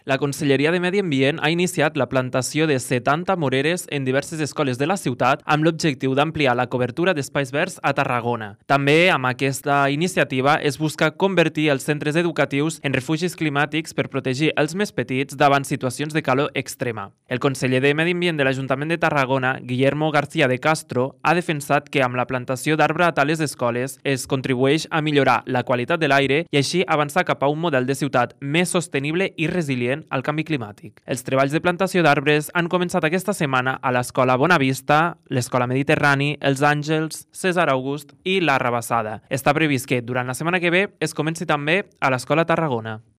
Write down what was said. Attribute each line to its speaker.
Speaker 1: La Conselleria de Medi Ambient ha iniciat la plantació de 70 moreres en diverses escoles de la ciutat amb l'objectiu d'ampliar la cobertura d'espais verds a Tarragona. També amb aquesta iniciativa es busca convertir els centres educatius en refugis climàtics per protegir els més petits davant situacions de calor extrema. El conseller de Medi Ambient de l'Ajuntament de Tarragona, Guillermo García de Castro, ha defensat que amb la plantació d'arbre a tales escoles es contribueix a millorar la qualitat de l'aire i així avançar cap a un model de ciutat més sostenible i resilient al canvi climàtic. Els treballs de plantació d'arbres han començat aquesta setmana a l'Escola Bonavista, l'Escola Mediterrani, els Àngels, César August i la Rabassada. Està previst que durant la setmana que ve es comenci també a l'Escola Tarragona.